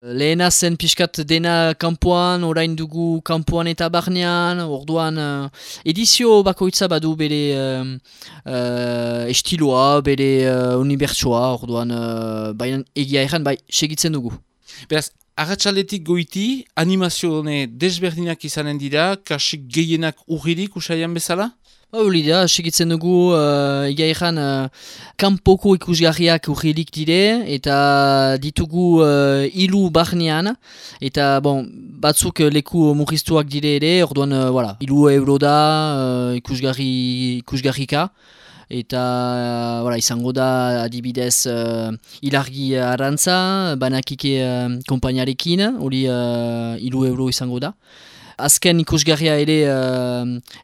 Lehena zen pixkat dena kanpoan, orain dugu kanpoan eta barnean, orduan edizio bakoitza badu bere estiloa, bere unibertsoa, orduan baina egia erran bai segitzen dugu. Beraz, arratsaletik goiti, animazio desberdinak izanen dira, kasik gehienak urririk usaian bezala? Hori da, segitzen dugu, egia erran, kanpoko ikusgarriak urrilik dire, eta ditugu hilu barnean, eta bon, batzuk leku murriztuak dire ere, orduan, hilu euro da ikusgarrika, eta izango da adibidez ilargi arantza, banakike kompainarekin, hori hilu euro izango da. Azken ikusgarria ere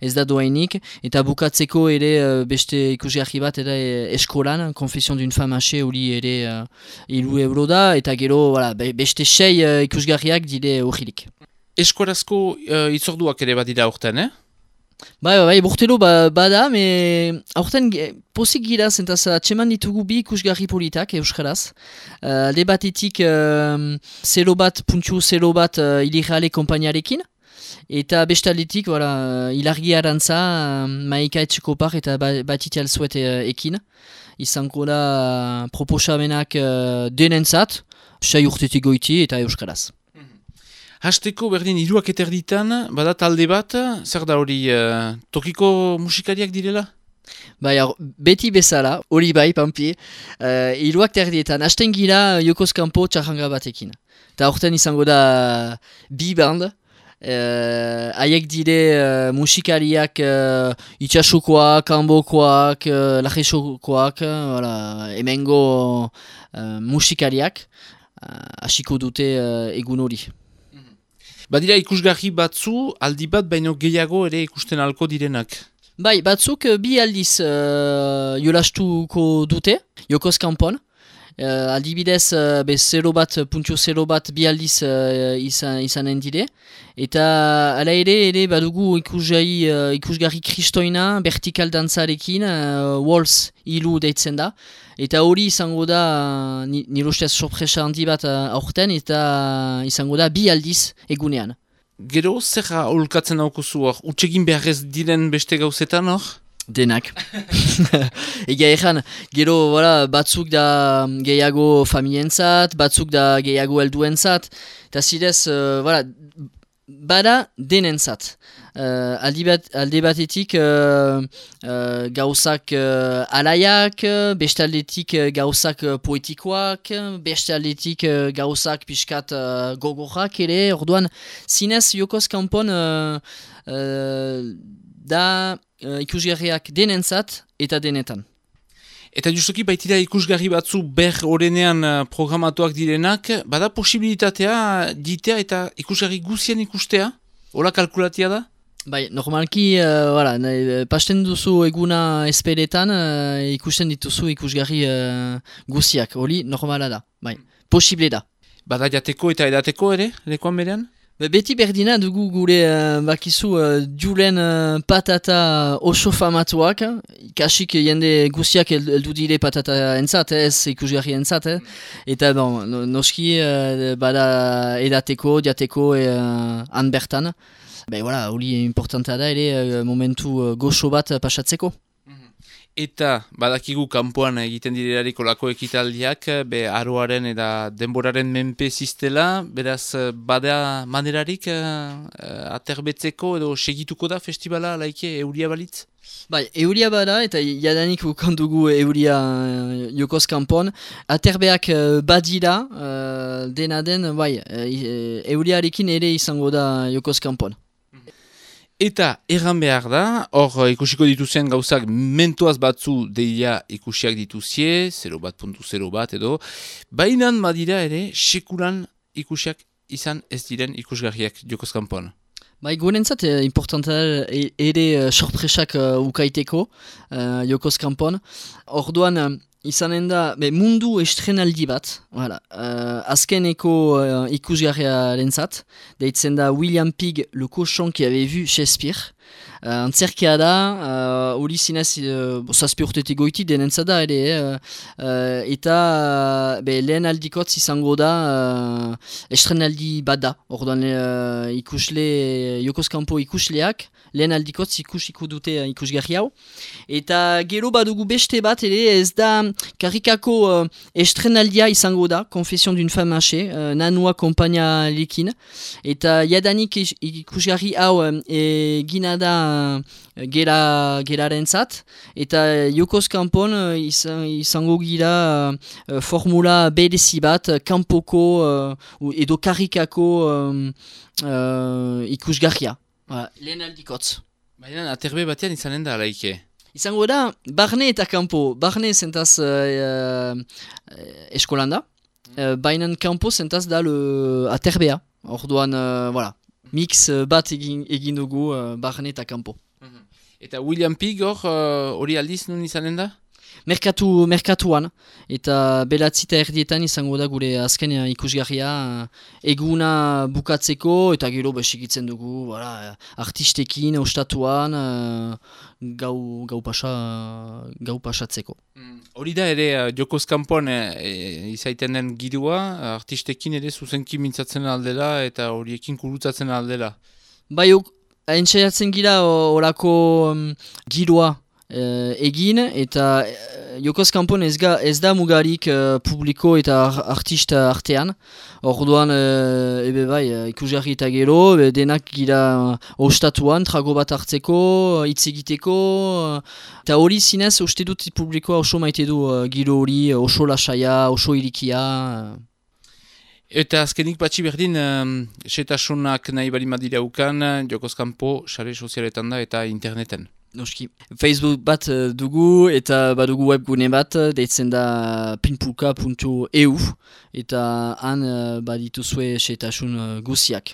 ez da doainik, eta bukatzeko ere beste ikusgarri bat ere eskolan, Confession d'une femme hachée hori ere hiru euro da, eta gero beste 6 ikusgarriak dire urrilik. Eskorazko itzorduak ere badira aurten, Bai, bortelo bada, me aurten pozik gira zentaz atseman ditugu bi ikusgarri politak euskaraz. Alde batetik zelo bat ilirreale kompainarekin, eta bestaldetik, ilargi arantza, maika etxekopar eta batitial zuet ekin. Izango da proposamenak denentzat, 6 urtetik goiti eta euskaraz. Hasteko berdin hiruak eterditan, bada talde bat, zer da hori tokiko musikariak direla? Bai, beti bezala, hori bai, pampi, hiruak terdietan, hasten gira Jokoz Kanpo txarranga batekin. Eta horten izango da bi band, haiek dire musikariak itxasukoak, kanbokoak, lajesokoak, hemengo musikariak, hasiko dute egun hori. Badira ikusgarri batzu, aldi bat baino gehiago ere ikusten alko direnak. Bai, batzuk bi aldiz jolastuko dute, Jokoz Kanpon. Aldibidez, 0 bat bi aldiz izanen dire. Eta ala ere badugu ikusgarri kristoina, vertikal dantzarekin, Waltz hilu deitzen da. Eta hori izango da, nire ustez sorpresa handi bat aurten, eta izango da bi aldiz egunean. Gero, zer aholkatzen haukuzu hor? Utsegin behar ez diren beste gauzetan hor? Denak. Egia erran, gero batzuk da gehiago familientzat, batzuk da gehiago helduentzat, eta zidez, bada denentzat. Alde batetik gauzak alaiak, bestaldetik gauzak poetikoak, bestaldetik gauzak pixkat gogorrak ere, orduan zinez Jokoz Kanpon da ikusgarriak denentzat eta denetan. Eta justuki baitira ikusgarri batzu ber orenean programatuak direnak, bada posibilitatea ditea eta ikusgarri guzien ikustea? Hola kalkulatia da? Bai, normalki, pasten duzu eguna esperetan, ikusten dituzu ikusgarri guziak, hori normala da, bai, posible da. Bada jateko eta edateko ere, lekoan berean? Beti berdina dugu gure bakizu julen patata oso famatuak, kasik jende guziak eldu dire patata entzat, ez ikusgarri entzat, eta noski bada edateko, jateko han bertan. Hori importantea da ere momentu goxo bat pasatzeko. Eta badakigu kanpoan egiten direlarik olako ekitaldiak, aroaren eta denboraren menpe ziztela, beraz bada manerarik aterbetzeko edo segituko da festivala laike euria balitz? Bai, euria bada eta jadanik ukandugu euria Jokoz Kanpon. Aterbeak badira, dena den, euriarekin ere izango da Jokoz Kanpon. Eta erran behar da, hor ikusiko dituzien gauzak mentoaz batzu deia ikusiak dituzie, 0.0 edo, bainan badira ere sekulan ikusiak izan ez diren ikusgarriak Jokoz Kanpon. Bai, gurentzat importanta ere sorpresak ukaiteko Jokoz Kanpon. Orduan izanen da mundu estrenaldi bat, azkeneko ikusgarriarentzat, deitzen da William Pig, le cochon qui avait vu Shakespeare, Antzerkia da, hori zinez zazpi urtetik goiti denentza da ere, eta lehen aldikotz izango da estrenaldi bat da, orduan ikusle, Jokoz Kanpo ikusleak, lehen aldikotz ikusiko dute ikusgarri hau. Eta gero badugu beste bat ere, ez da karikako estrenaldia izango da, Confession d'une femme hachée, nanua kompania lekin. Eta jadanik ikusgarri hau egina da gerarentzat, eta Jokoz Kanpon izango gira formula berezi bat, kanpoko edo karikako ikusgarria. Lehen aldikotz. Baina aterbe batean izanen da alaike. Izango da, barne eta kanpo. Barne zentaz eskolan da. Baina kanpo zentaz da aterbea. Orduan, mix bat egin dugu barne eta kanpo. Eta William Pig hori aldiz nun izanen da? Merkatuan, eta belatzita erdietan izango da gure azken ikusgarria eguna bukatzeko, eta gero besikitzen dugu artistekin, ostatuan, gau pasatzeko. Hori da ere Jokoz Kanpon izaiten den girua, artistekin ere zuzenki mintzatzen aldela eta horiekin kurutzatzen aldela. Bai, haintzaiatzen gira horako girua egin, eta Jokoz Kanpon ez da mugarik publiko eta artista artean. Orduan, ikusgarri eta gero, denak gira ostatuan, trago bat hartzeko, hitz egiteko, eta hori zinez, uste dut publikoa oso maite du giro hori, oso lasaia, oso irikia. Eta azkenik batxi berdin, setasunak nahi bali madira ukan, Jokoz Kanpo, sare sozialetan da eta interneten. Noski. Facebook bat dugu eta badugu webgune bat, deitzen da pinpulka.eu, eta han badituzue setasun guziak.